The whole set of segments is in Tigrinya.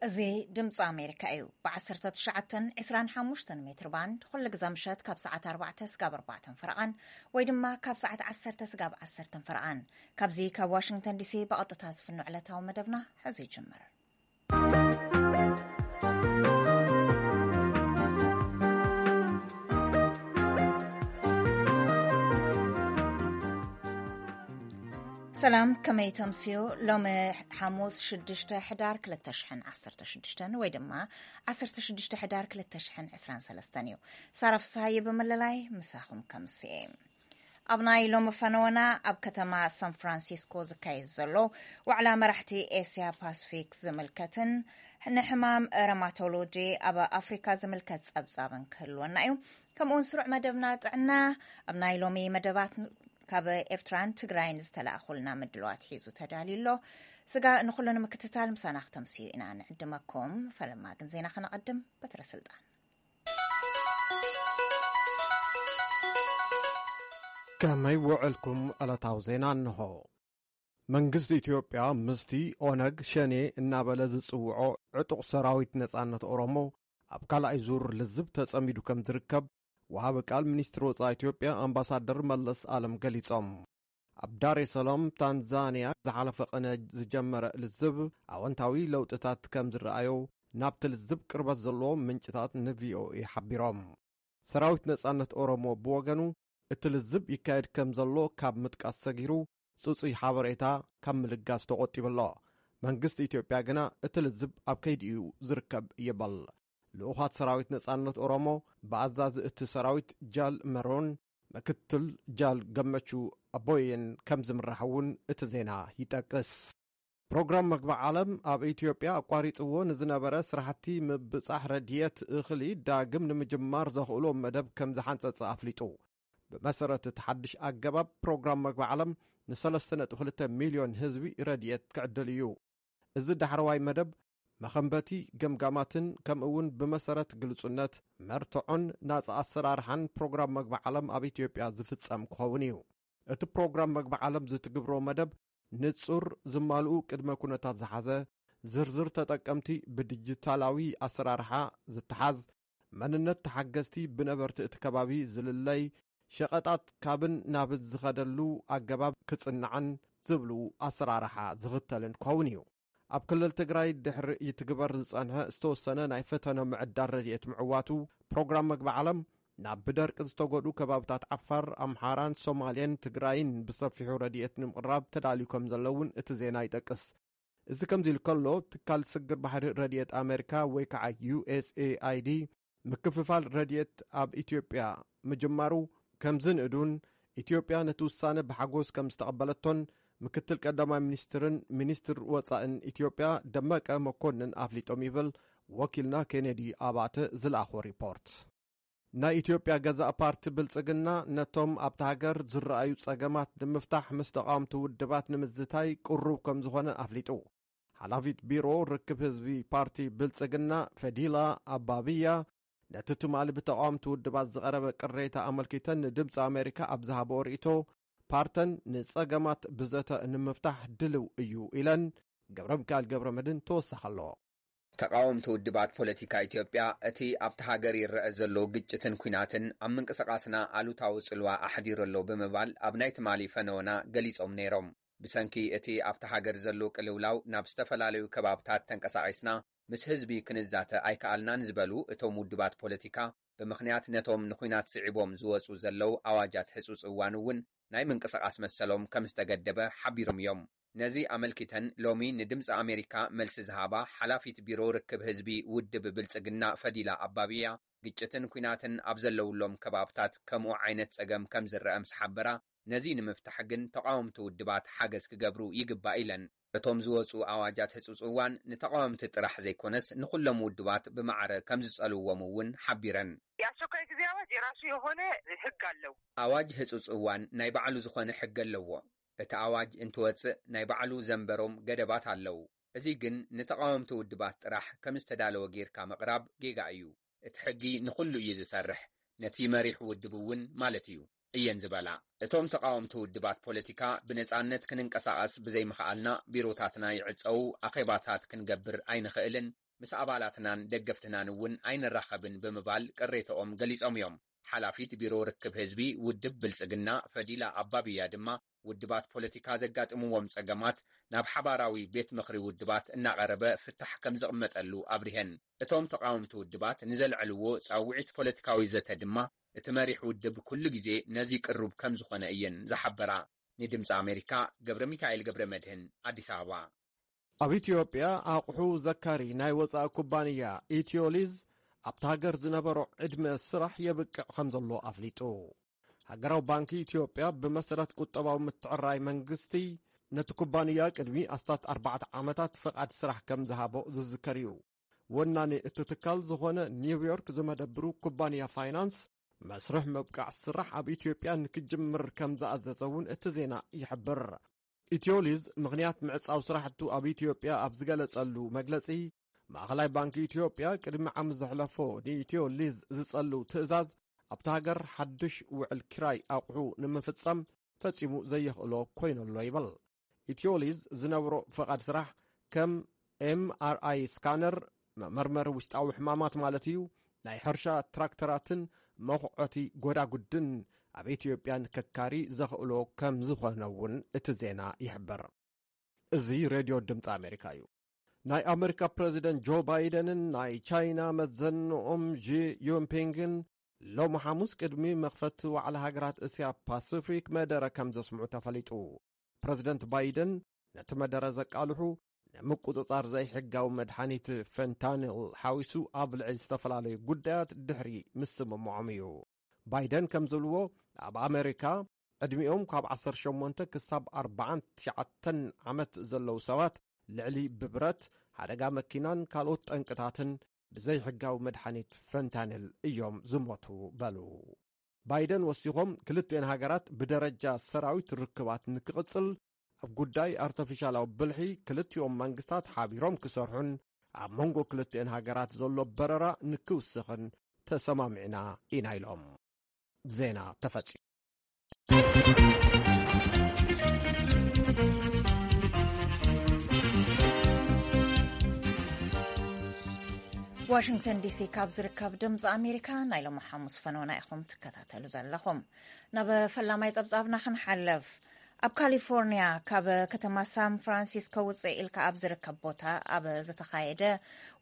እዚ ድምፂ ኣሜሪካ እዩ። ብ19 25 ሜትር ባንድ ኩሉ ግዜ ምሸት ካብ ሰዓት ኣርባዕተ ስጋብ ኣርባዕተን ፈረቓን ወይ ድማ ካብ ሰዓት ዓሰርተ ስጋብ ዓሰርተን ፈረቓን። ካብዚ ካብ ዋሽንግተን ዲሲ ብቐጥታ ዝፍኖ ዕለታዊ መደብና ሕዚ ይጅምር። ሰላም፣ ከመይ ተምስዮ? ሎሚ ሓሙስ ሽዱሽተ ሕዳር ክልተ ሽሕን ዓሰርተ ሽዱሽተን ወይ ድማ ዓሰርተ ሽዱሽተ ሕዳር ክልተ ሽሕን ዕስራን ሰለስተን እዩ። ሳራ ፍስሃየ ብምልላይ ምሳኹም ከምስየ። ኣብ ናይ ሎሚ ፈነወና፣ ኣብ ከተማ ሳን ፍራንሲስኮ ዝካየድ ዘሎ ዋዕላ መራሕቲ ኤስያ ፓስፊክ ዝምልከትን ንሕማም ረማቶሎጂ ኣብ ኣፍሪካ ዝምልከት ጸብጻብን ክህልወና እዩ። ከምኡውን ስሩዕ መደብና ጥዕና። ኣብ ናይ ሎሚ መደባት ካብ ኤርትራን ትግራይን ዝተላእኹልና ምድለዋት ሒዙ ተዳልዩ ኣሎ። ስጋ ንኹሉ ንምክትታል ምሳና ክተምስዩ ኢና ንዕድመኩም። ፈለማ ግን ዜና ከነቐድም። በትረ ስልጣን። ከመይ ውዕልኩም? ዕለታዊ ዜና እንሆ። መንግስቲ ኢትዮጵያ ምስቲ ኦነግ ሸኔ እናበለ ዝጽውዖ ዕጡቕ ሰራዊት ነጻነት ኦሮሞ ኣብ ካልኣይ ዙር ልዝብ ተጸሚዱ ከም ዝርከብ ወሃቢ ቃል ሚኒስትሪ ወጻኢ ኢትዮጵያ ኣምባሳደር መለስ ኣለም ገሊጾም። ኣብ ዳሬ ሰላም ታንዛንያ ዝሓለፈ ቅነ ዝጀመረ ልዝብ ኣወንታዊ ለውጥታት ከም ዝረኣዮ ናብቲ ልዝብ ቅርበት ዘለዎም ምንጭታት ንቪኦኤ ሓቢሮም። ሰራዊት ነጻነት ኦሮሞ ብወገኑ እቲ ልዝብ ይካየድ ከም ዘሎ ካብ ምጥቃስ ሰጊሩ ጽጹይ ሓበሬታ ካብ ምልጋስ ተቖጢቡ ኣሎ። መንግስቲ ኢትዮጵያ ግና እቲ ልዝብ ኣብ ከይዲ እዩ ዝርከብ ይብል። ልኡኻት ሰራዊት ነጻነት ኦሮሞ ብኣዛዚ እቲ ሰራዊት ጃል መሮን ምክትል ጃል ገመቹ ኣቦየን ከም ዝምራሕ እውን እቲ ዜና ይጠቅስ። ፕሮግራም መግቢ ዓለም ኣብ ኢትዮጵያ ኣቋሪጽዎ ንዝነበረ ስራሕቲ ምብጻሕ ረድየት እኽሊ ዳግም ንምጅማር ዘኽእሎ መደብ ከም ዝሓንጸጸ ኣፍሊጡ። ብመሰረት እቲ ሓድሽ ኣገባብ ፕሮግራም መግቢ ዓለም ን3.2 ሚልዮን ህዝቢ ረድየት ክዕድል እዩ። እዚ ዳሕረዋይ መደብ መኸንበቲ ገምጋማትን ከምኡ እውን ብመሰረት ግልጹነት፣ መርትዖን ናጻ ኣሰራርሓን ፕሮግራም መግቢ ዓለም ኣብ ኢትዮጵያ ዝፍጸም ክኸውን እዩ። እቲ ፕሮግራም መግቢ ዓለም ዝትግብሮ መደብ ንጹር ዝማልኡ ቅድመ ኩነታት ዝሓዘ፣ ዝርዝር ተጠቀምቲ ብዲጂታላዊ ኣሰራርሓ ዝተሓዝ፣ መንነት ተሓገዝቲ ብነበርቲ እቲ ከባቢ ዝልለይ፣ ሸቐጣት ካብን ናብን ዝኸደሉ ኣገባብ ክጽናዕን ዝብሉ ኣሰራርሓ ዝኽተልን ክኸውን እዩ። ኣብ ክልል ትግራይ ድሕሪ ይትግበር ዝጸንሐ ዝተወሰነ ናይ ፈተነ ምዕዳል ረድኤት ምዕዋቱ፣ ፕሮግራም መግቢ ዓለም ናብ ብደርቂ ዝተጎድኡ ከባብታት ዓፋር፣ ኣምሓራን ሶማሌን ትግራይን ብሰፊሑ ረድኤት ንምቕራብ ተዳልዩ ከም ዘሎ እውን እቲ ዜና ይጠቅስ። እዚ ከምዚ ኢሉ ከሎ፣ ትካል ስግር ባሕሪ ረድኤት ኣሜሪካ ወይ ከዓ ዩ ኤስ ኤ ኣይ ዲ ምክፍፋል ረድኤት ኣብ ኢትዮጵያ ምጅማሩ ከም ዝንእዱን ኢትዮጵያ ነቲ ውሳነ ብሓጎስ ከም ዝተቐበለቶን ምክትል ቀዳማይ ሚኒስትርን ሚኒስትር ወጻእን ኢትዮጵያ ደመቀ መኮንን ኣፍሊጦም ይብል ወኪልና ኬኔዲ ኣባተ ዝለኣኾ ሪፖርት። ናይ ኢትዮጵያ ገዛእ ፓርቲ ብልጽግና ነቶም ኣብታ ሃገር ዝረኣዩ ጸገማት ንምፍታሕ ምስ ተቓወምቲ ውድባት ንምዝታይ ቅሩብ ከም ዝኾነ ኣፍሊጡ። ሓላፊት ቢሮ ርክብ ህዝቢ ፓርቲ ብልጽግና ፈዲላ ኣባብያ ነቲ ትማሊ ብተቓወምቲ ውድባት ዝቐረበ ቅሬታ ኣመልኪተን ንድምፂ ኣሜሪካ ኣብ ዝሃበኦ ርእይቶ፣ ፓርተን ንጸገማት ብዘተ ንምፍታሕ ድልው እዩ ኢለን። ገብረ ሚካኤል ገብረ መድህን ተወሳኺ ኣለዎ። ተቓወምቲ ውድባት ፖለቲካ ኢትዮጵያ እቲ ኣብቲ ሃገር ይረአ ዘሎ ግጭትን ኲናትን ኣብ ምንቅስቓስና ኣሉታዊ ጽልዋ ኣሕዲሩ ኣሎ ብምባል ኣብ ናይ ትማሊ ፈነወና ገሊጾም ነይሮም። ብሰንኪ እቲ ኣብቲ ሃገር ዘሎ ቅልውላው ናብ ዝተፈላለዩ ከባብታት ተንቀሳቒስና ምስ ህዝቢ ክንዛተ ኣይከኣልናን ዝበሉ እቶም ውድባት ፖለቲካ፣ ብምኽንያት ነቶም ንኲናት ስዒቦም ዝወጹ ዘለዉ ኣዋጃት ህጹጽ እዋን እውን ናይ ምንቅስቓስ መሰሎም ከም ዝተገደበ ሓቢሮም እዮም። ነዚ ኣመልኪተን ሎሚ ንድምፂ ኣሜሪካ መልሲ ዝሃባ ሓላፊት ቢሮ ርክብ ህዝቢ ውድብ ብልጽግና ፈዲላ ኣባብያ፣ ግጭትን ኲናትን ኣብ ዘለውሎም ከባብታት ከምኡ ዓይነት ጸገም ከም ዝረአ ምስ ሓበራ፣ ነዚ ንምፍታሕ ግን ተቓወምቲ ውድባት ሓገዝ ክገብሩ ይግባእ ኢለን። እቶም ዝወፁ ኣዋጃት ህጹጽ እዋን ንተቓወምቲ ጥራሕ ዘይኮነስ ንኹሎም ውድባት ብማዕረ ከም ዝጸልውዎም እውን ሓቢረን። የአስቸኳይ ጊዜ አዋጅ የራሱ የሆነ ህግ አለው። ኣዋጅ ህጹጽ እዋን ናይ ባዕሉ ዝኾነ ሕጊ ኣለዎ። እቲ ኣዋጅ እንትወጽእ ናይ ባዕሉ ዘንበሮም ገደባት ኣለዉ። እዚ ግን ንተቓወምቲ ውድባት ጥራሕ ከም ዝተዳለወ ጌርካ ምቕራብ ጌጋ እዩ። እቲ ሕጊ ንኹሉ እዩ ዝሰርሕ። ነቲ መሪሕ ውድብ እውን ማለት እዩ እየን ዝበላ። እቶም ተቓወምቲ ውድባት ፖለቲካ ብነጻነት ክንንቀሳቐስ ብዘይምኽኣልና ቢሮታትና ይዕጸዉ፣ ኣኼባታት ክንገብር ኣይንኽእልን፣ ምስ ኣባላትናን ደገፍትናን እውን ኣይንራኸብን ብምባል ቅሬተኦም ገሊጾም እዮም። ሓላፊት ቢሮ ርክብ ህዝቢ ውድብ ብልጽግና ፈዲላ ኣባብያ ድማ፣ ውድባት ፖለቲካ ዘጋጥምዎም ጸገማት ናብ ሓባራዊ ቤት ምኽሪ ውድባት እናቐረበ ፍታሕ ከም ዝቕመጠሉ ኣብሪሀን። እቶም ተቓወምቲ ውድባት ንዘልዐልዎ ጻውዒት ፖለቲካዊ ዘተ ድማ፣ እቲ መሪሕ ውድብ ኩሉ ግዜ ነዚ ቅሩብ ከም ዝኾነ እየን ዝሓበራ። ንድምፂ ኣሜሪካ፣ ገብረ ሚካኤል ገብረ መድህን፣ ኣዲስ ኣበባ። ኣብ ኢትዮጵያ ኣቑሑ ዘካሪ ናይ ወጻኢ ኩባንያ ኢትዮሊዝ ኣብታ ሃገር ዝነበሮ ዕድመ ስራሕ የብቅዕ ከም ዘሎ ኣፍሊጡ። ሃገራዊ ባንኪ ኢትዮጵያ ብመሰረት ቁጠባዊ ምትዕራይ መንግስቲ ነቲ ኩባንያ ቅድሚ ኣስታት ኣርባዕተ ዓመታት ፍቓድ ስራሕ ከም ዝሃቦ ዝዝከር እዩ። ወናኒ እቲ ትካል ዝኾነ ኒውዮርክ ዝመደብሩ ኩባንያ ፋይናንስ መስርሕ ምብቃዕ ስራሕ ኣብ ኢትዮጵያ ንክጅምር ከም ዝኣዘዘ እውን እቲ ዜና ይሕብር። ኢትዮሊዝ ምኽንያት ምዕጻው ስራሕቱ ኣብ ኢትዮጵያ ኣብ ዝገለጸሉ መግለጺ፣ ማእኸላይ ባንኪ ኢትዮጵያ ቅድሚ ዓመት ዘሕለፎ ንኢትዮ ሊዝ ዝጸሉ ትእዛዝ ኣብታ ሃገር ሓድሽ ውዕል ኪራይ ኣቑሑ ንምፍጻም ፈጺሙ ዘየኽእሎ ኮይኑ ኣሎ ይብል። ኢትዮ ሊዝ ዝነብሮ ፈቓድ ስራሕ ከም ኤምኣርኣይ ስካነር፣ መመርመሪ ውሽጣዊ ሕማማት ማለት እዩ፣ ናይ ሕርሻ ትራክተራትን መኹዐቲ ጎዳጉድን ኣብ ኢትዮጵያ ንከካሪ ዘኽእሎ ከም ዝኾነ እውን እቲ ዜና ይሕብር። እዚ ሬድዮ ድምፂ ኣሜሪካ እዩ። ናይ ኣሜሪካ ፕረዚደንት ጆ ባይደንን ናይ ቻይና መዘንኦም ዢ ዩንፒንግን ሎሚ ሓሙስ ቅድሚ መኽፈቲ ዋዕላ ሃገራት እስያ ፓሲፊክ መደረ ከም ዘስምዑ ተፈሊጡ። ፕረዚደንት ባይደን ነቲ መደረ ዘቃልሑ ንምቁጽጻር ዘይሕጋዊ መድሓኒት ፈንታኒል ሓዊሱ ኣብ ልዕሊ ዝተፈላለዩ ጉዳያት ድሕሪ ምስምምዖም እዩ። ባይደን ከም ዝብልዎ፣ ኣብ ኣሜሪካ ዕድሚኦም ካብ ዓሰርተ ሸሞንተ ክሳብ ኣርባዓን ትሽዓተን ዓመት ዘለዉ ሰባት ልዕሊ ብብረት፣ ሓደጋ መኪናን ካልኦት ጠንቅታትን ብዘይሕጋዊ መድሓኒት ፈንታኒል እዮም ዝሞቱ በሉ። ባይደን ወሲኾም፣ ክልቲኤን ሃገራት ብደረጃ ሰራዊት ርክባት ንክቕጽል፣ ኣብ ጉዳይ ኣርተፊሻላዊ ብልሒ ክልቲኦም መንግስታት ሓቢሮም ክሰርሑን ኣብ መንጎ ክልቲኤን ሃገራት ዘሎ በረራ ንክውስኽን ተሰማሚዕና ኢና ኢሎም። ዜና ተፈጺሙ። ዋሽንግተን ዲሲ ካብ ዝርከብ ድምፂ ኣሜሪካ ናይ ሎሚ ሓሙስ ፈነውና ኢኹም ትከታተሉ ዘለኹም። ናብ ፈላማይ ጸብጻብና ክንሓልፍ። ኣብ ካሊፎርኒያ ካብ ከተማ ሳን ፍራንሲስኮ ውፅእ ኢልካ ኣብ ዝርከብ ቦታ ኣብ ዝተኻየደ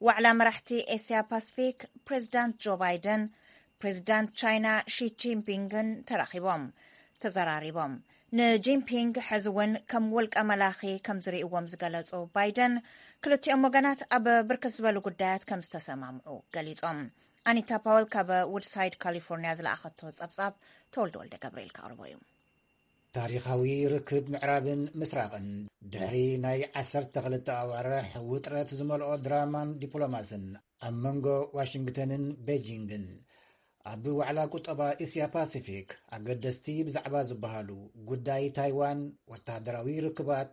ዋዕላ መራሕቲ ኤስያ ፓስፊክ፣ ፕሬዚዳንት ጆ ባይደን ፕሬዚዳንት ቻይና ሺ ጂንፒንግን ተራኺቦም ተዘራሪቦም። ንጂንፒንግ ሕዚ እውን ከም ውልቀ መላኺ ከም ዝርእይዎም ዝገለጹ ባይደን፣ ክልቲኦም ወገናት ኣብ ብርክት ዝበሉ ጉዳያት ከም ዝተሰማምዑ ገሊጾም። ኣኒታ ፓወል ካብ ውድሳይድ ካሊፎርኒያ ዝለኣኸቶ ጸብጻብ ተወልደ ወልደ ገብርኤል ከቕርቦ እዩ። ታሪኻዊ ርክብ ምዕራብን ምስራቕን፣ ድሕሪ ናይ ዓሰርተ ክልተ ኣዋርሕ ውጥረት ዝመልኦ ድራማን ዲፕሎማስን ኣብ መንጎ ዋሽንግተንን ቤጂንግን፣ ኣብ ዋዕላ ቁጠባ እስያ ፓሲፊክ ኣገደስቲ ብዛዕባ ዝበሃሉ ጉዳይ ታይዋን፣ ወተሃደራዊ ርክባት፣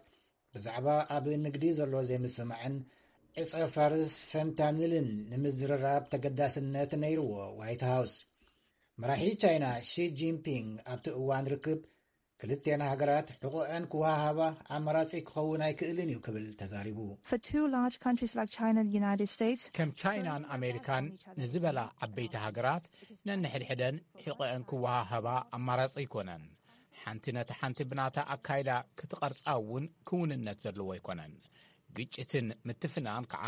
ብዛዕባ ኣብ ንግዲ ዘሎ ዘይምስምማዕን ዕጸ ፋርስ ፈንታኒልን ንምዝርራብ ተገዳስነት ነይርዎ። ዋይት ሃውስ መራሒ ቻይና ሺ ጂንፒንግ ኣብቲ እዋን ርክብ ክልቴን ሃገራት ሕቖኤን ክወሃሃባ ኣማራጺ ክኸውን ኣይክእልን እዩ ክብል ተዛሪቡ። For two large countries like China and the United States, ከም ቻይናን ኣሜሪካን ንዝበላ ዓበይቲ ሃገራት ነንሕድሕደን ሕቖኤን ክወሃሃባ ኣማራጺ ኣይኮነን። ሓንቲ ነታ ሓንቲ ብናታ ኣካይዳ ክትቐርጻ እውን ክውንነት ዘለዎ ኣይኮነን። ግጭትን ምትፍናን ከዓ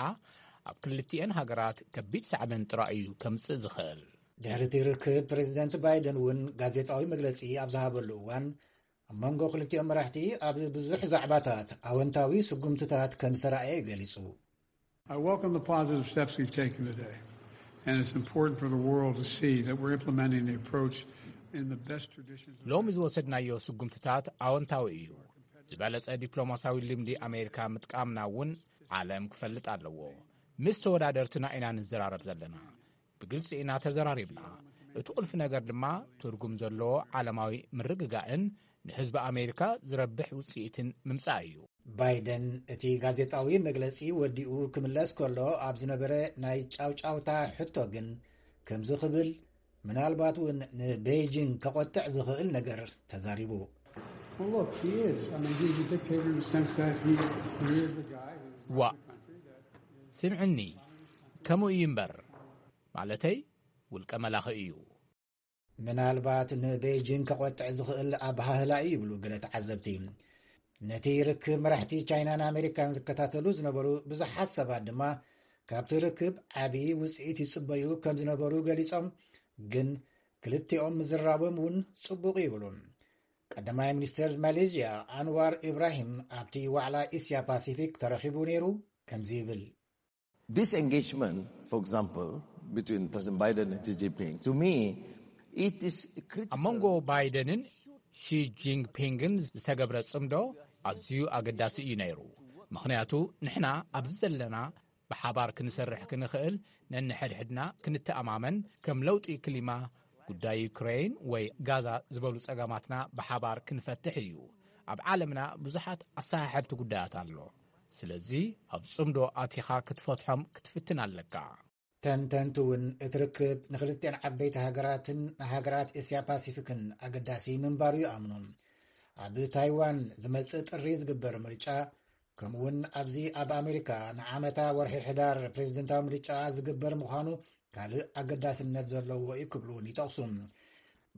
ኣብ ክልቲኤን ሃገራት ከቢድ ሳዕቤን ጥራይ እዩ ከምጽእ ዝኽእል። ድሕሪ እቲ ርክብ፣ ፕሬዚደንት ባይደን እውን ጋዜጣዊ መግለጺ ኣብ ዝሃበሉ እዋን፣ ኣብ መንጎ ክልቲኦም መራሕቲ ኣብ ብዙሕ ዛዕባታት ኣወንታዊ ስጉምትታት ከም ዝተራእየ ገሊጹ። I welcome the positive steps we've taken today, and it's important for the world to see that we're implementing the approach in the best traditions of ሎሚ ዝወሰድናዮ ስጉምትታት ኣወንታዊ እዩ። ዝበለጸ ዲፕሎማሲያዊ ልምዲ ኣሜሪካ ምጥቃምና እውን ዓለም ክፈልጥ ኣለዎ። ምስ ተወዳደርትና ኢና ንዘራረብ ዘለና። ብግልጺ ኢና ተዘራሪብና። እቲ ቁልፊ ነገር ድማ ትርጉም ዘለዎ ዓለማዊ ምርግጋእን ንህዝቢ ኣሜሪካ ዝረብሕ ውጽኢትን ምምጻእ እዩ። ባይደን እቲ ጋዜጣዊ መግለጺ ወዲኡ ክምለስ ከሎ ኣብ ዝነበረ ናይ ጫውጫውታ ሕቶ ግን ከምዚ ክብል፣ ምናልባት እውን ንቤይጂንግ ከቖጥዕ ዝኽእል ነገር ተዛሪቡ። Well, look, he is. I mean, he's a dictator in the sense that he, he is a guy who runs ዋእ፣ a country that is ስምዕኒ፣ ከምኡ እዩ እምበር፣ ማለተይ ውልቀ መላኺ እዩ። ምናልባት ንቤይጂንግ ከቖጥዕ ዝኽእል ኣበሃህላ እዩ ይብሉ ገለ ተዓዘብቲ። ነቲ ርክብ መራሕቲ ቻይናን ኣሜሪካን ዝከታተሉ ዝነበሩ ብዙሓት ሰባት ድማ ካብቲ ርክብ ዓብዪ ውፅኢት ይፅበዩ ከም ዝነበሩ ገሊፆም። ግን ክልቲኦም ምዝራቦም እውን ፅቡቕ ይብሉ። ቀዳማይ ሚኒስትር ማሌዥያ ኣንዋር ኢብራሂም ኣብቲ ዋዕላ እስያ ፓሲፊክ ተረኺቡ ነይሩ። ከምዚ ይብል። This engagement, for example, between President Biden and Xi Jinping, to me, it is critical. ኣብ መንጎ ባይደንን ሺ ጂንፒንግን ዝተገብረ ጽምዶ ኣዝዩ ኣገዳሲ እዩ ነይሩ። ምኽንያቱ ንሕና ኣብዚ ዘለና ብሓባር ክንሰርሕ ክንኽእል፣ ነንሕድሕድና ክንተኣማመን፣ ከም ለውጢ ክሊማ፣ ጉዳይ ዩክሬን ወይ ጋዛ ዝበሉ ጸገማትና ብሓባር ክንፈትሕ እዩ። ኣብ ዓለምና ብዙሓት ኣሰሓሕብቲ ጉዳያት ኣሎ። ስለዚ ኣብ ጽምዶ ኣቲኻ ክትፈትሖም ክትፍትን ኣለካ። ተንተንቲ እውን እቲ ርክብ ንክልቲኣን ዓበይቲ ሃገራትን ንሃገራት እስያ ፓሲፊክን ኣገዳሲ ምንባሩ ይኣምኑ። ኣብ ታይዋን ዝመጽእ ጥሪ ዝግበር ምርጫ፣ ከምኡውን ኣብዚ ኣብ ኣሜሪካ ንዓመታ ወርሒ ሕዳር ፕሬዝደንታዊ ምርጫ ዝግበር ምዃኑ ካልእ ኣገዳስነት ዘለዎ እዩ ክብሉ እውን ይጠቕሱ።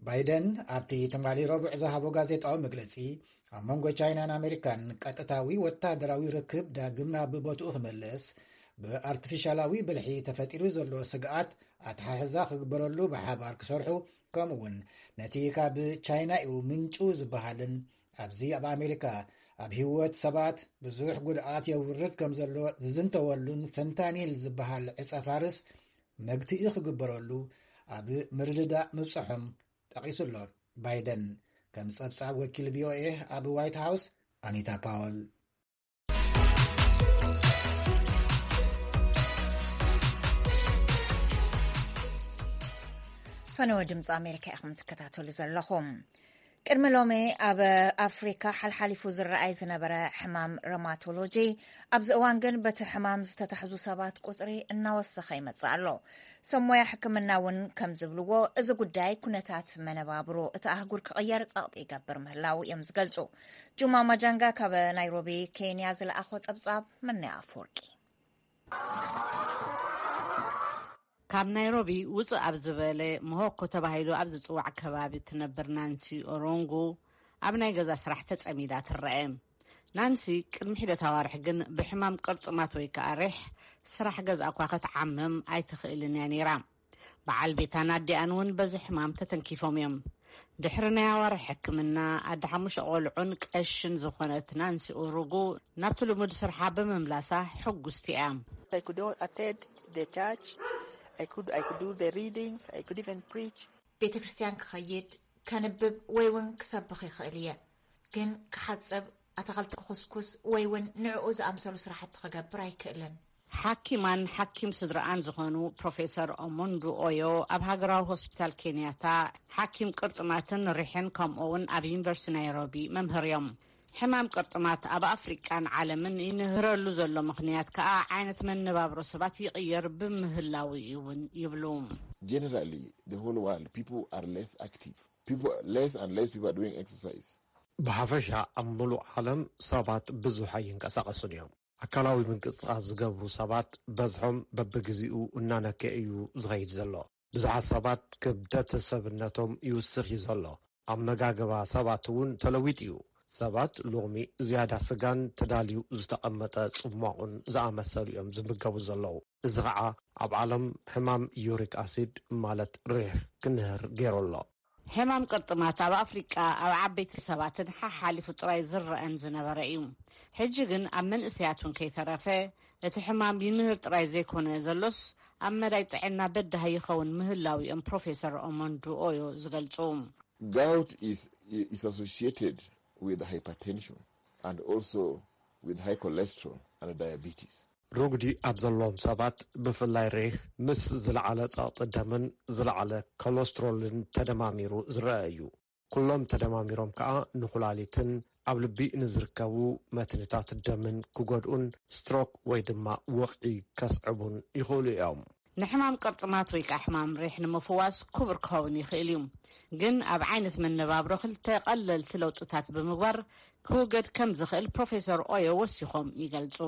ባይደን ኣብቲ ትማሊ ረቡዕ ዝሃቦ ጋዜጣዊ መግለጺ፣ ኣብ መንጎ ቻይናን ኣሜሪካን ቀጥታዊ ወታደራዊ ርክብ ዳግም ናብ ቦትኡ ክምለስ፣ ብኣርቲፊሻላዊ ብልሒ ተፈጢሩ ዘሎ ስግኣት ኣተሓሕዛ ክግበረሉ ብሓባር ክሰርሑ፣ ከምኡ እውን ነቲ ካብ ቻይና እዩ ምንጩ ዝበሃልን ኣብዚ ኣብ ኣሜሪካ ኣብ ህይወት ሰባት ብዙሕ ጉድኣት የውርድ ከም ዘሎ ዝዝንተወሉን ፈንታኒል ዝበሃል ዕጸ ፋርስ መግትኢ ክግበረሉ ኣብ ምርድዳእ ምብጽሖም ጠቒሱ ኣሎ። ባይደን ከም ጸብጻብ ወኪል ቪኦኤ ኣብ ዋይት ሃውስ ኣኒታ ፓወል። ፈነወ ድምፂ ኣሜሪካ ኢኹም ትከታተሉ ዘለኹም። ቅድሚ ሎሚ ኣብ ኣፍሪካ ሓልሓሊፉ ዝረኣይ ዝነበረ ሕማም ረማቶሎጂ ኣብዚ እዋን ግን በቲ ሕማም ዝተታሕዙ ሰባት ቁፅሪ እናወሰኸ ይመፅእ ኣሎ። ሰብ ሞያ ሕክምና እውን ከም ዝብልዎ፣ እዚ ጉዳይ ኩነታት መነባብሮ እቲ ኣህጉር ክቕየር ጸቕጢ ይገብር ምህላው እዮም ዝገልጹ። ጁማ ማጃንጋ ካብ ናይሮቢ ኬንያ ዝለኣኾ ጸብጻብ። መናይ ኣፈወርቂ። ካብ ናይሮቢ ውፅእ ኣብ ዝበለ ሞሆኮ ተባሂሉ ኣብ ዝፅዋዕ ከባቢ እትነብር ናንሲ ኦሮንጉ ኣብ ናይ ገዛ ስራሕ ተጸሚዳ ትረአ። ናንሲ ቅድሚ ሒደት ኣዋርሕ ግን ብሕማም ቅርጥማት ወይ ከዓ ሪሕ ስራሕ ገዝኣ እኳ ክትዓምም ኣይትኽእልን እያ ነይራ። በዓል ቤታን ኣዲኣን እውን በዚ ሕማም ተተንኪፎም እዮም። ድሕሪ ናይ ኣዋርሕ ሕክምና ኣደ ሓሙሽተ ቆልዑን ቀሽን ዝኾነት ናንሲ ኡሩጉ ናብቲ ልሙድ ስርሓ ብምምላሳ ሕጉስቲ እያ። I could attend the church, I could, I could do the readings, I could even preach. ቤተ ክርስቲያን ክኸይድ፣ ከንብብ ወይ እውን ክሰብኽ ይኽእል እየ፣ ግን ክሓጽብ፣ ኣታኽልቲ ክኹስኩስ ወይ እውን ንዕኡ ዝኣምሰሉ ስራሕቲ ክገብር ኣይክእልን። ሓኪማን ሓኪም ስድራኣን ዝኾኑ ፕሮፌሰር ኦሞንዱ ኦዮ ኣብ ሃገራዊ ሆስፒታል ኬንያታ ሓኪም ቅርጥማትን ሪሕን ከምኡ እውን ኣብ ዩኒቨርሲቲ ናይሮቢ መምህር እዮም። ሕማም ቅርጥማት ኣብ ኣፍሪቃን ዓለምን ይንህረሉ ዘሎ ምኽንያት ከኣ ዓይነት መነባብሮ ሰባት ይቕየር ብምህላው እዩ እውን ይብሉ። Generally, the whole world, people are less active. People, less and less people are doing exercise. ብሓፈሻ ኣብ ምሉእ ዓለም ሰባት ብዙሕ ኣይንቀሳቐሱን እዮም። ኣካላዊ ምንቅስቓስ ዝገብሩ ሰባት በዝሖም በብግዜኡ እናነከ እዩ ዝኸይድ ዘሎ። ብዙሓት ሰባት ክብደት ሰብነቶም ይውስኽ እዩ ዘሎ። ኣመጋግባ ሰባት እውን ተለዊጡ እዩ። ሰባት ሎሚ ዝያዳ ስጋን ተዳልዩ ዝተቐመጠ ጽሟቑን ዝኣመሰሉ እዮም ዝምገቡ ዘለዉ። እዚ ኸዓ ኣብ ዓለም ሕማም ዩሪክ ኣሲድ ማለት ሪሕ ክንህር ገይሩ ኣሎ። ሕማም ቅርጥማት ኣብ ኣፍሪቃ ኣብ ዓበይቲ ሰባትን ሓሓሊፉ ጥራይ ዝረኣን ዝነበረ እዩ። ሕጂ ግን ኣብ መንእሰያት እውን ከይተረፈ እቲ ሕማም ይንህር ጥራይ ዘይኮነ ዘሎስ ኣብ መዳይ ጥዕና በዳሂ ይኸውን ምህላው እዮም ፕሮፌሰር ኦሞንዱ ኦዮ ዝገልጹ። Gout is, is associated with hypertension and also with high cholesterol and diabetes. ሩጉዲ ኣብ ዘለዎም ሰባት ብፍላይ ሬህ ምስ ዝለዓለ ጸቕጢ ደምን ዝለዓለ ኮለስትሮልን ተደማሚሩ ዝረአ እዩ። ኩሎም ተደማሚሮም ከኣ ንኹላሊትን ኣብ ልቢ ንዝርከቡ መትንታት ደምን ክጎድኡን ስትሮክ ወይ ድማ ወቕዒ ከስዕቡን ይኽእሉ እዮም። ንሕማም ቅርጥማት ወይ ከዓ ሕማም ሪሕ ንምፍዋስ ክቡር ክኸውን ይኽእል እዩ። ግን ኣብ ዓይነት መነባብሮ ክልተ ቀለልቲ ለውጥታት ብምግባር ክውገድ ከም ዝኽእል ፕሮፌሰር ኦዮ ወሲኾም ይገልጹ።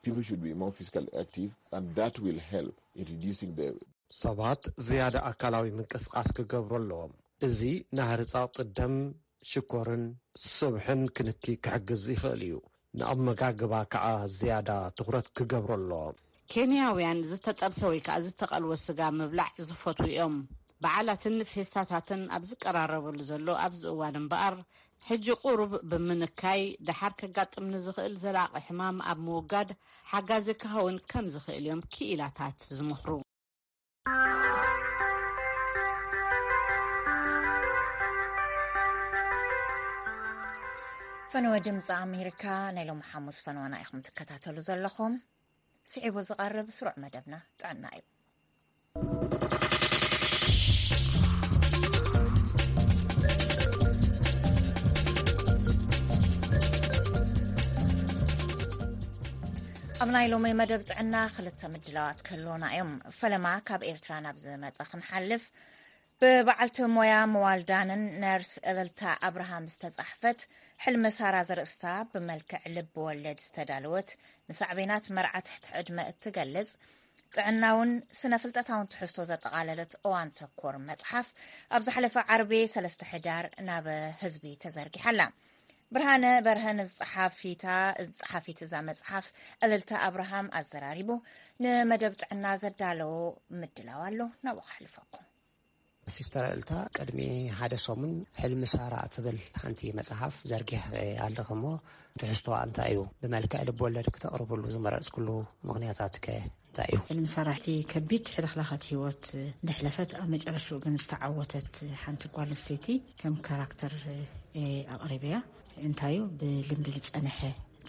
People should be more physically active, and that will help in reducing the ሰባት ዝያዳ ኣካላዊ ምንቅስቃስ ክገብሩ ኣለዎም። እዚ ንህርፃ ጥደም፣ ሽኮርን ስብሕን ክንኪ ክሕግዝ ይኽእል እዩ። ንኣመጋግባ ከዓ ዝያዳ ትኹረት ክገብሩ ኣለዎም። ኬንያውያን ዝተጠብሰ ወይ ከዓ ዝተቐልወ ስጋ ምብላዕ ዝፈትዉ እዮም። በዓላትን ፌስታታትን ኣብ ዝቀራረበሉ ዘሎ ኣብዚ እዋን እምበኣር፣ ሕጂ ቁሩብ ብምንካይ ደሓር ከጋጥም ንዝኽእል ዘላቒ ሕማም ኣብ ምውጋድ ሓጋዚ ክኸውን ከም ዝኽእል እዮም ክኢላታት ዝምኽሩ። ፈነወ ድምፂ ኣሜሪካ ናይ ሎሚ ሓሙስ ፈነወና ኢኹም ትከታተሉ ዘለኹም። ስዒቡ ዝቐርብ ስሩዕ መደብና ጥዕና እዩ። ኣብ ናይ ሎሚ መደብ ጥዕና ክልተ ምድላዋት ክህልውና እዮም። ፈለማ ካብ ኤርትራ ናብ ዝመጸ ክንሓልፍ፣ ብበዓልቲ ሞያ ምዋልዳንን ነርስ እልልታ ኣብርሃም ዝተጻሕፈት ሕልሚ ሳራ ዘርእስታ ብመልክዕ ልብ ወለድ ዝተዳለወት ንሳዕቤናት መርዓ ትሕቲ ዕድመ እትገልጽ ጥዕናውን ስነ ፍልጠታውን ትሕዝቶ ዘጠቓለለት እዋን ተኮር መጽሓፍ ኣብ ዝሓለፈ ዓርቢ ሰለስተ ሕዳር ናብ ህዝቢ ተዘርጊሓ ኣላ። ብርሃነ በርሀ ንጸሓፊታ ጸሓፊት እዛ መጽሓፍ እልልታ ኣብርሃም ኣዘራሪቡ ንመደብ ጥዕና ዘዳለዎ ምድላው ኣሎ። ናብኡ ከሕልፈኩም። ሲስተር እልታ ቅድሚ ሓደ ሰሙን ሕልሚ ሳራ እትብል ሓንቲ መጽሓፍ ዘርጊሕ ኣለኽሞ ትሕዝቶኣ እንታይ እዩ? ብመልክዕ ልብ ወለድ ክተቕርብሉ ዝመረጽክሉ ምኽንያታት ከ እንታይ እዩ? ሕልሚ ሳራ እቲ ከቢድ ሕልኽላኻት ህይወት እንደሕለፈት ኣብ መጨረሽኡ ግን ዝተዓወተት ሓንቲ ጓል ኣንስተይቲ ከም ካራክተር ኣቕሪበያ። እንታይ እዩ ብልምዲ ዝጸንሐ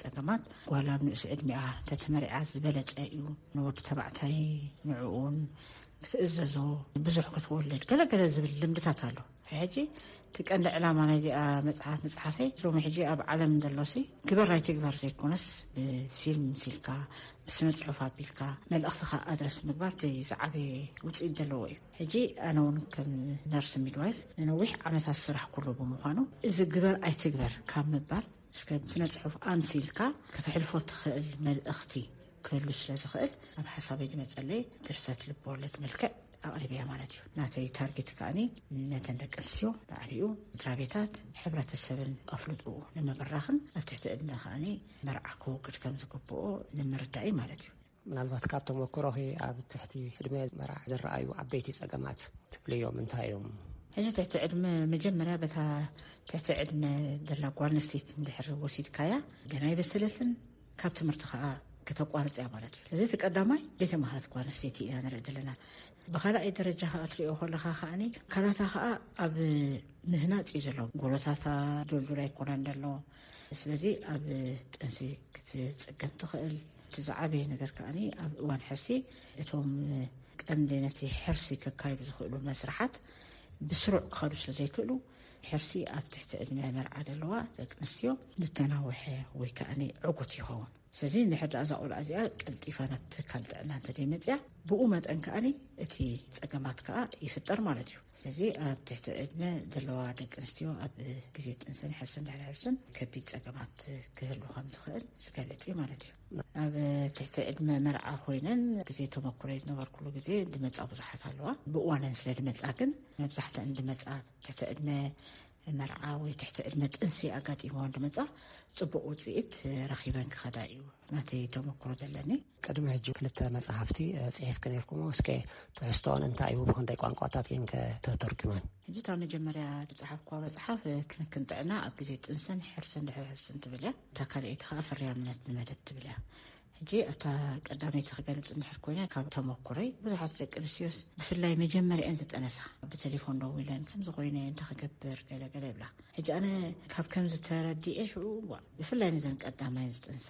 ጸገማት ጓል ኣብ ንእስ ዕድሚኣ ተተመሪዓ ዝበለጸ እዩ። ንወዲ ተባዕታይ ንዕኡን ክትእዘዞ ብዙሕ ክትወልድ ገለገለ ዝብል ልምድታት ኣሎ። ሕጂ እቲ ቀንዲ ዕላማ ናይዚኣ መፅሓፍ ምፅሓፈይ ሎሚ ሕጂ ኣብ ዓለም ዘሎሲ ግበር ኣይትግበር ዘይኮነስ ብፊልም ምሲልካ ብስነ ፅሑፍ ኣቢልካ መልእኽትኻ ኣድረስ ምግባር እቲ ዝዓበየ ውፅኢት ዘለዎ እዩ። ሕጂ ኣነ እውን ከም ነርስ ሚድዋይፍ ንነዊሕ ዓመታት ስራሕ ኩሉ ብምዃኑ እዚ ግበር ኣይትግበር ካብ ምባል እስከ ስነ ጽሑፍ ኣምሲልካ ከተሕልፎ ትኽእል መልእኽቲ ክህሉ ስለ ዝኽእል ኣብ ሓሳበይ ዝመጸለይ ድርሰት ልብ ወለድ መልክዕ ኣቕሪበያ ማለት እዩ። ናተይ ታርጌት ከኣኒ ነተን ደቂ ኣንስትዮ ላዕሊኡ ስድራ ቤታት ሕብረተሰብን ኣፍልጥኡ ንምብራኽን ኣብ ትሕቲ ዕድመ ከኣኒ መርዓ ክወግድ ከም ዝግብኦ ንምርዳእ እዩ ማለት እዩ። ምናልባት ካብ ተመክሮኺ ኣብ ትሕቲ ዕድመ መርዓ ዝረኣዩ ዓበይቲ ጸገማት ትብልዮም እንታይ እዮም? ሕጂ ትሕቲ ዕድመ መጀመርያ በታ ትሕቲ ዕድመ ዘላ ጓል ኣንስተይቲ እንድሕር ወሲድካያ ገና ኣይበሰለትን ካብ ትምህርቲ ከዓ ከተቋርፅ እያ ማለት እዩ። እዚ እቲ ቀዳማይ ዘይተማሃረት ጓል ኣንስተይቲ ኢና ንርኢ ዘለና። ብካልኣይ ደረጃ ከዓ ትሪኦ ከለካ ከዓኒ ኣካላታ ከዓ ኣብ ምህናፅ እዩ ዘሎ። ጎሎታታ ዶልዱል ኣይኮነን ዘሎ። ስለዚ ኣብ ጥንሲ ክትፅገም ትኽእል። እቲ ዝዓበየ ነገር ከዓኒ ኣብ እዋን ሕርሲ እቶም ቀንዲ ነቲ ሕርሲ ከካይዱ ዝኽእሉ መስርሓት ብስሩዕ ክኸዱ ስለ ዘይክእሉ ሕርሲ ኣብ ትሕቲ ዕድመ መርዓ ዘለዋ ደቂ ኣንስትዮ ዝተናውሐ ወይ ከዓኒ ዕጉት ይኸውን። ስለዚ እንድሕር ደኣ እዛ ቆልዓ እዚኣ ቀልጢፋ ናብ ትካል ጥዕና እንተደይመፅያ ብኡ መጠን ከዓኒ እቲ ፀገማት ከዓ ይፍጠር ማለት እዩ። ስለዚ ኣብ ትሕቲ ዕድመ ዘለዋ ደቂ ኣንስትዮ ኣብ ግዜ ጥንስን ሕርስን ድሕሪ ሕርስን ከቢድ ፀገማት ክህሉ ከም ዝኽእል ዝገልፅ እዩ ማለት እዩ። ኣብ ትሕቲ ዕድመ መርዓ ኮይነን ግዜ ተመኩረይ ዝነበርኩሉ ግዜ ዝመፃ ብዙሓት ኣለዋ። ብእዋነን ስለ ዝመፃ ግን መብዛሕተን ዝመፃ ትሕቲ ዕድመ መርዓ ወይ ትሕቲ ዕድመ ጥንሲ ኣጋጢምወን ዝመፃ ፅቡቕ ውፅኢት ረኺበን ክኸዳ እዩ ናተይ ተመክሮ ዘለኒ። ቅድሚ ሕጂ ክልተ መፅሓፍቲ ፅሒፍኪ ነይርክሞ እስከ ትሕዝቶን እንታይ እዩ ብክንደይ ቋንቋታት እየን ከተተርጉመን? ሕጂ እታ መጀመርያ ዝፀሓፍኳ መፅሓፍ ክንክን ጥዕና ኣብ ግዜ ጥንስን ሕርስን ድሕሪ ሕርስን ትብል እያ። እታ ካልኣይቲ ከዓ ፍርያምነት ንመደብ ትብል እያ። ሕጂ እታ ቀዳመይቲ ክገልፅ እንድሕር ኮይነ ካብ ተመኩረይ ብዙሓት ደቂ ኣንስትዮስ ብፍላይ መጀመርያ እየን ዝጠነሳ ብቴሌፎን ደዊለን ከምዚ ኮይነ እንታይ ክገብር ገለ ገለ ይብላ። ሕጂ ኣነ ካብ ከምዚ ተረዲኤ ሽዑ ዋ ብፍላይ ነዘን ቀዳማይ ዝጥንሳ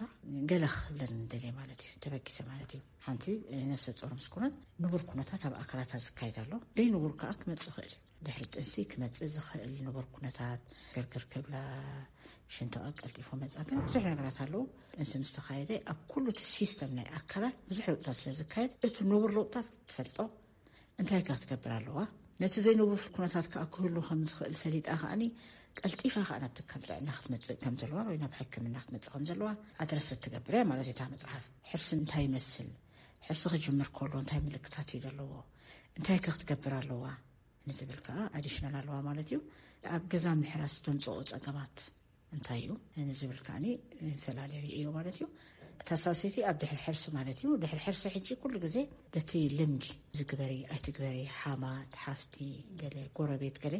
ገለ ክብለን እንደልየ ማለት እዩ ተበጊሰ ማለት እዩ። ሓንቲ ነብሰ ጾር ምስ ኮነት ንቡር ኩነታት ኣብ ኣካላታ ዝካየድ ኣሎ ደይ ንቡር ከዓ ክመፅእ ይኽእል እዩ። ድሕሪ ጥንሲ ክመፅእ ዝኽእል ንቡር ኩነታት ግርግር ክብላ ሽንተቐ ቀልጢፎ መፃ። ግን ብዙሕ ነገራት ኣለዉ። ጥንሲ ምስ ተኻየደ ኣብ ኩሉ እቲ ሲስተም ናይ ኣካላት ብዙሕ ለውጥታት ስለ ዝካየድ፣ እቲ ንቡር ለውጥታት ክትፈልጦ እንታይ ከ ክትገብር ኣለዋ? ነቲ ዘይንቡር ኩነታት ከኣ ክህሉ ከም ዝኽእል ፈሊጣ ከኣኒ ቀልጢፋ ከኣ ናብ ትካል ጥዕና ክትመጽእ ከም ዘለዋ ወይ ናብ ሕክምና ክትመጽእ ከም ዘለዋ ኣድረስ ትገብር እያ ማለት እታ መጽሓፍ። ሕርሲ እንታይ ይመስል? ሕርሲ ክጅምር ከሎ እንታይ ምልክታት እዩ ዘለዎ? እንታይ ከ ክትገብር ኣለዋ? ንዝብል ከኣ ኣዲሽናል ኣለዋ ማለት እዩ። ኣብ ገዛ ምሕራስ ዘምጽኦ ጸገማት እንታይ እዩ ንዝብል ከኣኒ ፈላለዩ እዩ ማለት እዩ። እታ ሳሰይቲ ኣብ ድሕሪ ሕርሲ ማለት እዩ። ድሕሪ ሕርሲ ሕጂ ኩሉ ግዜ በቲ ልምዲ ዝግበሪ ኣይትግበሪ፣ ሓማት፣ ሓፍቲ፣ ገለ ጎረቤት፣ ገለ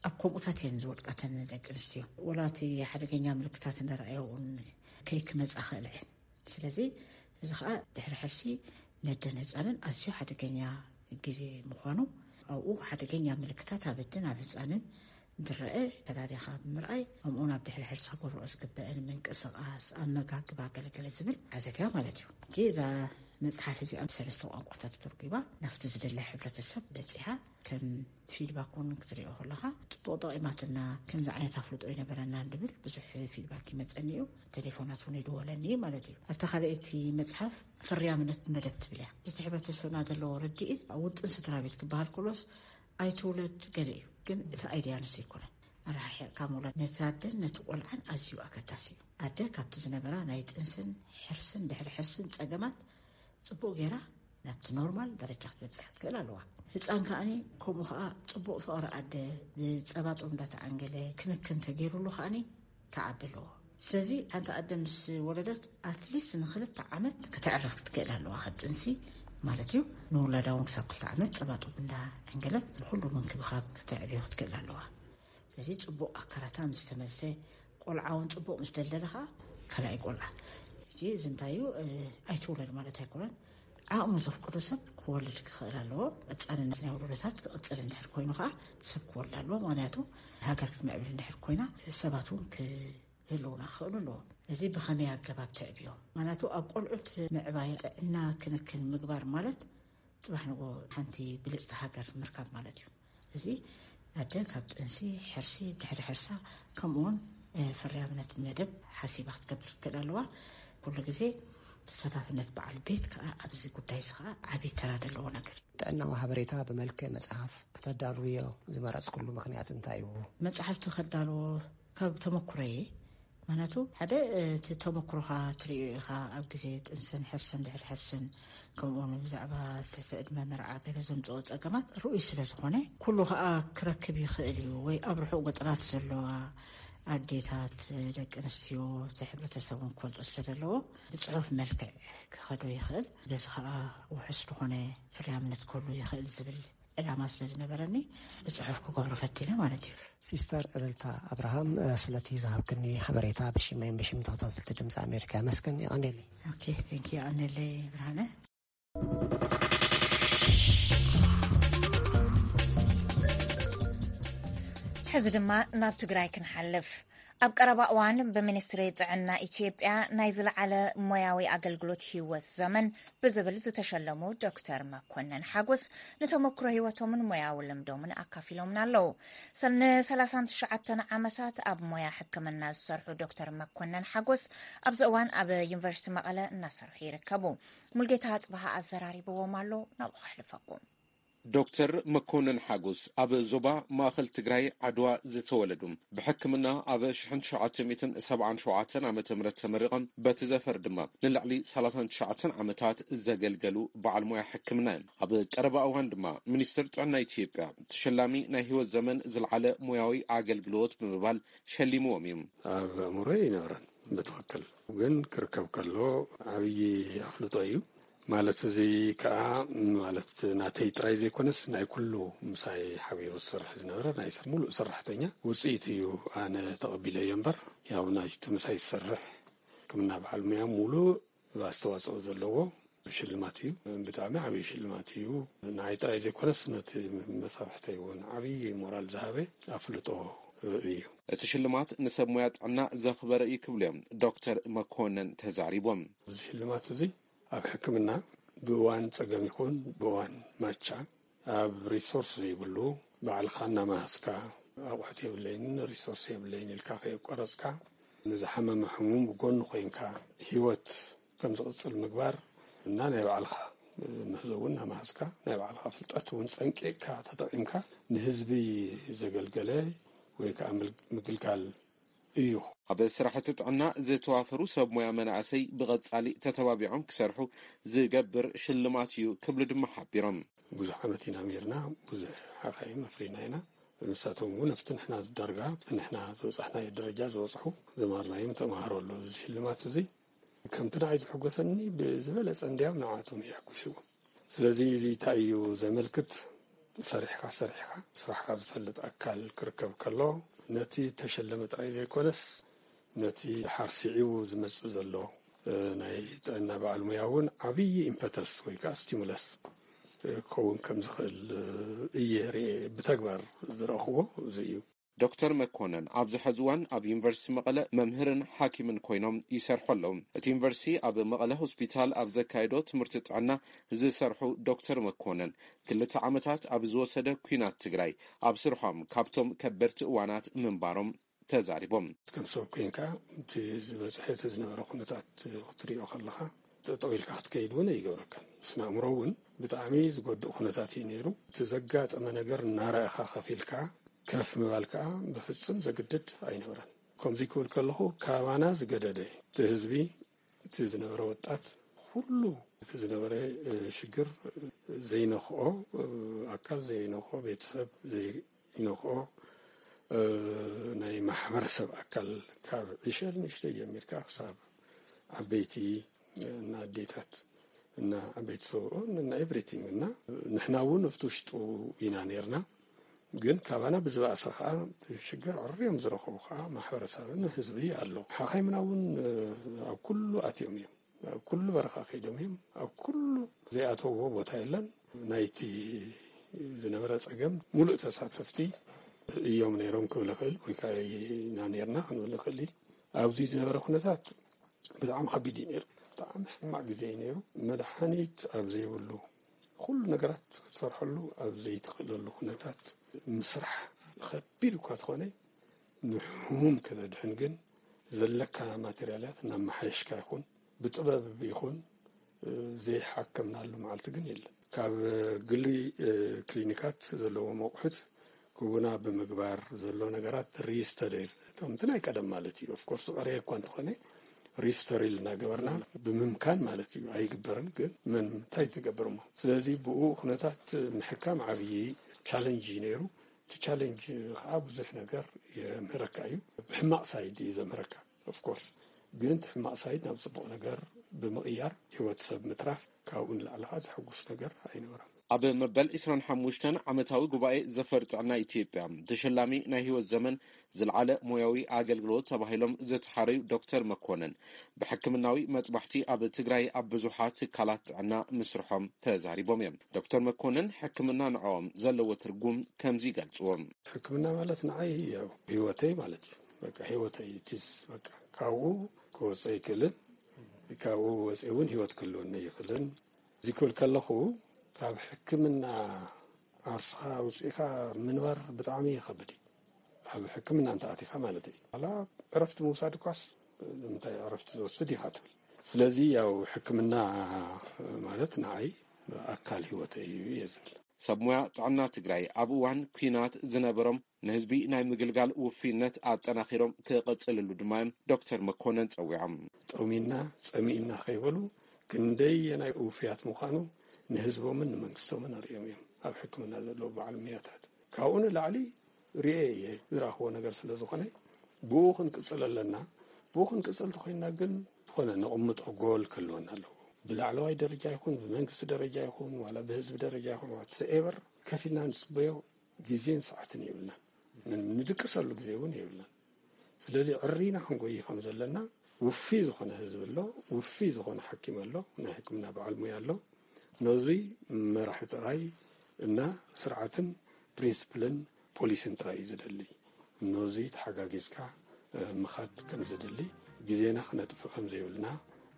ኣብ ከምኡታት እየን ዝወድቃተን ደቂ ኣንስትዮ። ወላ እቲ ሓደገኛ ምልክታት እንዳረኣየውን ከይክመጻ ክእልዐ። ስለዚ እዚ ኸኣ ድሕሪ ሕርሲ ነደን ህጻንን ኣዝዩ ሓደገኛ ግዜ ምዃኑ፣ ኣብኡ ሓደገኛ ምልክታት ኣብ ኣደን ኣብ ህጻንን እንትረአ ፈላሊኻ ብምርኣይ፣ ከምኡውን ኣብ ድሕሪ ሕርሲ ክገብርኦ ዝግበአን ምንቅስቓስ፣ ኣመጋግባ፣ ገለገለ ዝብል ሓዘትያ ማለት እዩ። ሕጂ እዛ መጽሓፍ እዚኣ ብሰለስተ ቋንቋታት ተርጒባ ናብቲ ዝደለ ሕብረተሰብ በጺሓ ከም ፊድባክ እውን ክትሪኦ ከለኻ ጽቡቕ ጠቒማትና፣ ከምዚ ዓይነት ኣፍልጦ ይነበረና እንድብል ብዙሕ ፊድባክ ይመጸኒ እዩ። ቴሌፎናት እውን ይድወለኒ ማለት እዩ። ኣብታ ካልኣይቲ መጽሓፍ ፍርያምነት መደብ ትብል እያ። እቲ ሕብረተሰብና ዘለዎ ርድኢት ኣብ ውጥን ስድራ ቤት ክበሃል ከሎስ ኣይትውለድ ገለ እዩ፣ ግን እቲ ኣይድያ ንሱ ኣይኮነን። ኣረሓሒቕካ ምውላድ ነቲ ኣደን ነቲ ቆልዓን ኣዝዩ ኣገዳሲ እዩ። ኣደ ካብቲ ዝነበራ ናይ ጥንስን ሕርስን ድሕሪ ሕርስን ጸገማት ጽቡቕ ጌራ ናብቲ ኖርማል ደረጃ ክትበጽሕ ክትክእል ኣለዋ። ህጻን ከኣኒ ከምኡ ከኣ ጽቡቕ ፍቕሪ ኣደ ብጸባ ጡብ እንዳተዓንገለ ክንክን ተገይሩሉ ከኣኒ ክዓቢ ኣለዎ። ስለዚ ሓንቲ ኣደ ምስ ወለደት ኣትሊስት ንክልተ ዓመት ከተዕርፍ ክትክእል ኣለዋ፣ ካብ ጥንሲ ማለት እዩ። ንውላዳ እውን ክሳብ ክልተ ዓመት ጸባ ጡብ እንዳዓንገለት ንኩሉ ምንክብኻብ ከተዕብዮ ክትክእል ኣለዋ። ስለዚ ጽቡቕ ኣካላታ ምስ ተመልሰ፣ ቆልዓ እውን ጽቡቕ ምስ ደልደለ ከኣ ካልኣይ ቆልዓ። ሕጂ እዚ እንታይ እዩ? እ፣ ኣይትውለድ ማለት ኣይኮነን። ዓቕሚ ዘፍቅዶ ሰብ ክወልድ ክኽእል ኣለዎ። ቀጻልነት ናይ ወለዶታት ክቕጽል እንድሕር ኮይኑ ከኣ ሰብ ክወልድ ኣለዎ። ምኽንያቱ ሃገር ክትምዕብል እንድሕር ኮይና ሰባት እውን ክህልውና ክኽእሉ ኣለዎ። እዚ ብኸመይ ኣገባብ ተዕብዮም? ምኽንያቱ ኣብ ቆልዑት ምዕባይ ጥዕና ክንክን ምግባር ማለት ጽባሕ ንጎ ሓንቲ ብልጽቲ ሃገር ምርካብ ማለት እዩ። እዚ ኣደ ካብ ጥንሲ፣ ሕርሲ፣ ድሕሪ ሕርሳ፣ ከምኡውን፣ እ፣ ፍርያምነት መደብ ሓሲባ ክትገብር ትክእል ኣለዋ። ኩሉ ግዜ ተሳታፍነት በዓል ቤት ከኣ ኣብዚ ጉዳይ እዚ ከኣ ዓብዪ ተራ ዘለዎ ነገር እዩ። ጥዕናዊ ሓበሬታ ብመልክዕ መጽሓፍ ከተዳልውዮ ዝመረጽኩሉ ምኽንያት እንታይ እዩ? መጽሓፍቲ ከዳልዎ ካብ ተመኩሮየ፣ ምኽንያቱ ሓደ፣ እ፣ እቲ ተመኩሮኻ ትርእዮ ኢኻ። ኣብ ግዜ ጥንስን ሕርስን ድሕሪ ሕርስን ከምኡውን ብዛዕባ ትሕቲ ዕድመ መርዓ ገለ ዘምጽኦ ጸገማት ርኡይ ስለ ዝኾነ፣ ኩሉ ኸኣ ክረክብ ይኽእል እዩ። ወይ ኣብ ርሑቕ ገጠራት ዘለዋ ኣዴታት፣ ደቂ ኣንስትዮ፣ እቲ ሕብረተሰብ እውን ክፈልጦ ስለ ዘለዎ ብጽሑፍ መልክዕ ክኸዶ ይኽእል። በዚ ኸኣ ውሑስ ዝኾነ ፍርያምነት ክህሉ ይኽእል ዝብል ዕላማ ስለ ዝነበረኒ ብጽሑፍ ክገብሮ ፈቲነ ማለት እዩ። ሲስተር እልልታ ኣብርሃም፣ እ፣ ስለቲ ዝሃብክኒ ሓበሬታ ብሽመይን ብሽም ተኸታተልቲ ድምፂ ኣሜሪካ የመስግን። የቐንየለይ። ኦኬ፣ ቴንክ ዩ። የቐንየለይ ብርሃነ። ሕዚ ድማ ናብ ትግራይ ክንሓልፍ። ኣብ ቀረባ እዋን ብሚኒስትሪ ጥዕና ኢትዮጵያ ናይ ዝለዓለ ሞያዊ ኣገልግሎት ህይወት ዘመን ብዝብል ዝተሸለሙ ዶክተር መኮነን ሓጎስ ንተመክሮ ህይወቶምን ሞያዊ ልምዶምን ኣካፊሎምና ኣለዉ። ሰ-፣ ን ሰላሳን ትሽዓተን ዓመታት ኣብ ሞያ ሕክምና ዝሰርሑ ዶክተር መኮነን ሓጎስ ኣብዚ እዋን ኣብ ዩኒቨርሲቲ መቐለ እናሰርሑ ይርከቡ። ሙልጌታ ኣጽብሃ ኣዘራሪብዎም ኣሎ፣ ናብኡ ከሕልፈኩም። ዶክተር መኮነን ሓጎስ ኣብ ዞባ ማእኸል ትግራይ ዓድዋ ዝተወለዱ፣ ብሕክምና ኣብ ሽሕን ትሽዓተ ሚእትን ሰብዓን ሸውዓተን ዓመተ ምህረት ተመሪቖም፣ በቲ ዘፈር ድማ ንልዕሊ ሰላሳን ትሽዓተን ዓመታት ዘገልገሉ በዓል ሞያ ሕክምና እዮም። ኣብ ቀረባ እዋን ድማ ሚኒስትር ጥዕና ኢትዮጵያ ተሸላሚ ናይ ህይወት ዘመን ዝለዓለ ሞያዊ ኣገልግሎት ብምባል ሸሊምዎም እዩ። ኣብ ኣእምሮይ ኣይነበረን ብትኽክል፣ ግን ክርከብ ከሎ ዓብዪ ኣፍልጦ እዩ። ማለት እዚ ከኣ ማለት ናተይ ጥራይ ዘይኮነስ ናይ ኩሉ ምሳይ ሓቢሩ ዝሰርሕ ዝነበረ ናይ ስ-፣ ሙሉእ ሰራሕተኛ ውጽኢት እዩ ኣነ ተቐቢለዮ እምበር፣ ያው ናይቲ ምሳይ ዝሰርሕ ሕክምና በዓል ሙያ ሙሉእ ኣስተዋጽኦ ዘለዎ ሽልማት እዩ። ብጣዕሚ ዓብዪ ሽልማት እዩ። ንዓይ ጥራይ ዘይኮነስ ነቲ መሳርሕተይ እውን ዓብዪ ሞራል ዝሃበ ኣፍልጦ እዩ። እቲ ሽልማት ንሰብ ሞያ ጥዕና ዘኽበረ እዩ ክብሉ እዮም ዶክተር መኮነን ተዛሪቦም። እዚ ሽልማት እዚ ኣብ ሕክምና ብእዋን ጸገም ይኹን ብእዋን ማቻ ኣብ ሪሶርስ ዘይብሉ ባዕልኻ እናመሃዝካ ኣቑሑት የብለይን ሪሶርስ የብለይን ኢልካ ከየቋረጽካ ንዝሓመመ ሕሙም ብጎኑ ኮይንካ ህይወት ከም ዝቕጽል ምግባር እና ናይ ባዕልኻ ምህዞ እውን እናመሃዝካ ናይ ባዕልኻ ፍልጠት እውን ጸንቂቕካ ተጠቒምካ ንህዝቢ ዘገልገለ ወይ ከዓ ምል-፣ ምግልጋል እዩ። ኣብ ስራሕቲ ጥዕና ዝተዋፈሩ ሰብ ሞያ መናእሰይ ብቐጻሊ ተተባቢዖም ክሰርሑ ዝገብር ሽልማት እዩ ክብሉ ድማ ሓቢሮም። ብዙሕ ዓመት ኢና ሜርና፣ ብዙሕ ሓኻይም ኣፍሪና ኢና። ንሳቶም እውን ኣብቲ ንሕና ዳርጋ ኣብቲ ንሕና ዝበጻሕናዮ ደረጃ ዝበጽሑ ዘማርናዮም ተምሃሮ ኣለዉ። እዚ ሽልማት እዚ ከምቲ ንዓይ ዝሕጎሰኒ ብዝበለጸ እንዲያም ንዓቶም የሕጉስዎም። ስለዚ እዚ እንታይ እዩ ዘመልክት? ሰሪሕካ ሰሪሕካ ስራሕካ ዝፈልጥ ኣካል ክርከብ ከሎ ነቲ ተሸለመ ጥራይ ዘይኮነስ ነቲ ሓርሲዒቡ ዝመጽእ ዘሎ፣ እ፣ ናይ ጥዕና በዓል ሙያ እውን ዓብዪ ኢምፐተስ ወይ ከዓ ስቲሙለስ፣ እ፣ ክኸውን ከም ዝኽእል፣ እ፣ እየ ርኤ ብተግባር ዝረእኽዎ እዚ እዩ። ዶክተር መኮነን ኣብዚ ሐዚ እዋን ኣብ ዩኒቨርሲቲ መቐለ መምህርን ሓኪምን ኮይኖም ይሰርሑ ኣለዉ። እቲ ዩኒቨርሲቲ ኣብ መቐለ ሆስፒታል ኣብ ዘካየዶ ትምህርቲ ጥዕና ዝሰርሑ ዶክተር መኮነን ክልተ ዓመታት ኣብ ዝወሰደ ኲናት ትግራይ ኣብ ስርሖም ካብቶም ከበድቲ እዋናት ምንባሮም ተዛሪቦም። ከም ሰብ ኮይንካ እቲ ዝበፅሐ እቲ ዝነበረ ኩነታት ክትሪኦ ከለኻ ጠጠው ኢልካ ክትከይድ እውን ኣይገብረካን። ስነ ኣእምሮ እውን ብጣዕሚ ዝጎድእ ኩነታት እዩ ነይሩ። እቲ ዘጋጠመ ነገር እናረእኻ ከፊልካ ከፍ ምባል ከዓ ብፍፅም ዘግድድ ኣይነበረን። ከምዚ ክብል ከለኹ ካባና ዝገደደ እቲ ህዝቢ፣ እቲ ዝነበረ ወጣት ኩሉ እቲ ዝነበረ፣ እ፣ ሽግር ዘይነኽኦ፣ እ፣ ኣካል ዘይነኽኦ፣ ቤተሰብ ዘይነኽኦ፣ እ፣ ናይ ማሕበረሰብ ኣካል ካብ ዕሸል ንእሽተይ ጀሚርካ ክሳብ ዓበይቲ፣ እ፣ እና ኣዴታት እና ዓበይቲ ሰብኡን እና ኤቭሪቲንግ እና ንሕና እውን ኣብቲ ውሽጡ ኢና ነርና። ግን ካባና ብዝባእሰ ከዓ ሽግር ዕርዮም ዝረኸቡ ከዓ ማሕበረሰብን ህዝቢ ኣሎ። ሓኻይምና እውን፣ እ፣ ኣብ ኩሉ ኣትዮም እዮም። ኣብ ኩሉ በረኻ ከይዶም እዮም። ኣብ ኩሉ ዘይኣተውዎ ቦታ የለን። ናይቲ ዝነበረ ጸገም ሙሉእ ተሳተፍቲ እዮም ነይሮም ክብል እኽእል፣ ወይ ከዓ ኢና ነርና ክንብል ንኽእል። ኣብዚ ዝነበረ ኩነታት ብጣዕሚ ከቢድ እዩ ነይሩ። ብጣዕሚ ሕማቕ ግዜ እዩ ነይሩ። መድሓኒት ኣብ ዘይብሉ፣ ኩሉ ነገራት ክትሰርሐሉ ኣብ ዘይትኽእለሉ ኩነታት ምስራሕ ከቢድ እኳ ተኾነ፣ ንሕሙም ከተድሕን ግን ዘለካ ማቴርያላት እናመሓየሽካ ይኹን ብጥበብ ይኹን፣ እ፣ ዘይሓከምናሉ መዓልቲ ግን የለን። ካብ ግሊ፣ እ፣ ክሊኒካት ዘለዎም ኣቑሑት ክቡና ብምግባር ዘሎ ነገራት ሪስተሪል፣ ከምቲ ናይ ቀደም ማለት እዩ። ኦፍኮርስ ዝቐረየ እኳ እንተኾነ ሪስተሪል እናገበርና ብምምካን ማለት እዩ። ኣይግበርን ግን መን እንታይ ትገብር እሞ። ስለዚ ብኡ ኩነታት ምሕካም ዓብዪ ቻለንጅ እዩ ነይሩ። እቲ ቻለንጅ ከዓ ብዙሕ ነገር የምህረካ እዩ። ብሕማቕ ሳይድ እዩ ዘምህረካ ኦፍኮርስ፣ ግን እቲ ሕማቕ ሳይድ ናብ ጽቡቕ ነገር ብምቕያር ህይወት ሰብ ምትራፍ ካብኡ ንላዕሊ ከዓ ዘሐጉስ ነገር ኣይነበረን። ኣብ መበል ዕስራን ሓሙሽተን ዓመታዊ ጉባኤ ዘፈር ጥዕና ኢትዮጵያ ተሸላሚ ናይ ህይወት ዘመን ዝለዓለ ሞያዊ ኣገልግሎት ተባሂሎም ዝተሓረዩ ዶክተር መኮነን ብሕክምናዊ መጥባሕቲ ኣብ ትግራይ ኣብ ብዙሓት ትካላት ጥዕና ምስርሖም ተዛሪቦም እዮም። ዶክተር መኮነን ሕክምና ንዕኦም ዘለዎ ትርጉም ከምዚ ይገልጽዎ። ሕክምና ማለት ንዓይ ያው ህይወተይ ማለት እዩ። በቃ ህይወተይ ቲስ በቃ ካብኡ ክወፅእ ኣይክእልን፣ ካብኡ ወፅእ እውን ህይወት ክህልወኒ ኣይክእልን። እዚ ክብል ከለኹ ካብ ሕክምና ዓርስኻ ኣውፂእኻ ምንባር ብጣዕሚ ይኸብድ እዩ። ኣብ ሕክምና እንተኣቲኻ ማለት እዩ። ዋላ ዕረፍቲ ምውሳድ እኳስ እንታይ ዕረፍቲ ዝወስድ ኢኻ ትብል። ስለዚ ያው ሕክምና ማለት ንዓይ ኣካል ህይወተይ እዩ እየ ዝብል። ሰብ ሞያ ጥዕና ትግራይ ኣብ እዋን ኲናት ዝነበሮም ንህዝቢ ናይ ምግልጋል ውፍይነት ኣጠናኺሮም ክቐጽልሉ ድማ እዮም ዶክተር መኮነን ጸዊዖም። ጠሚና ጸሚእና ከይበሉ ክንደየናይ ውፍያት ምዃኑ ንህዝቦምን ንመንግስቶምን ኣርእዮም እዮም ኣብ ሕክምና ዘለዉ በዓል ሞያታት። ካብኡ ንላዕሊ ርኤ እየ ዝረኣኽዎ ነገር ስለ ዝኾነ ብኡ ክንቅጽል ኣለና። ብኡ ክንቅጽል ተኾይንና ግን ዝኾነ ነቕምጦ ጎል ክህልወና ኣለዎ። ብላዕለዋይ ደረጃ ይኹን ብመንግስቲ ደረጃ ይኹን ዋላ ብህዝቢ ደረጃ ይኹን ዋትሰኤቨር ከፊልና ንጽበዮ ግዜን ሰዓትን የብልናን። ን-፣ ንድቅሰሉ ግዜ እውን የብልናን። ስለዚ ዕሪና ክንጎይ ከም ዘለና ውፊ ዝኾነ ህዝቢ ኣሎ፣ ውፊ ዝኾነ ሓኪም ኣሎ፣ ናይ ሕክምና በዓል ሙያ ኣሎ። ነዚ መራሒ ጥራይ እና ስርዓትን ፕሪንስፕልን ፖሊስን ጥራይ እዩ ዝደሊ። ነዚ ተሓጋጊዝካ፣ እ፣ ምኻድ ከም ዝድሊ፣ ግዜና ክነጥፍእ ከም ዘይብልና፣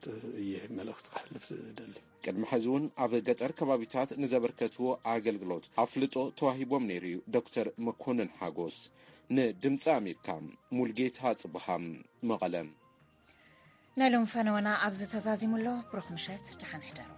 እ፣ እየ መልእኽቲ ከሕልፍ ዝደሊ። ቅድሚ ሕዚ እውን ኣብ ገጠር ከባቢታት ንዘበርከትዎ ኣገልግሎት ኣፍልጦ ተዋሂቦም ነይሩ እዩ ዶክተር መኮንን ሓጎስ። ንድምፂ ኣሜሪካ፣ ሙልጌታ ጽብሃም፣ መቐለ። ናይ ሎም ፈነወና ኣብዚ ተዛዚሙ ኣሎ። ብሩኽ ምሸት፣ ደሓን ሕደሩ።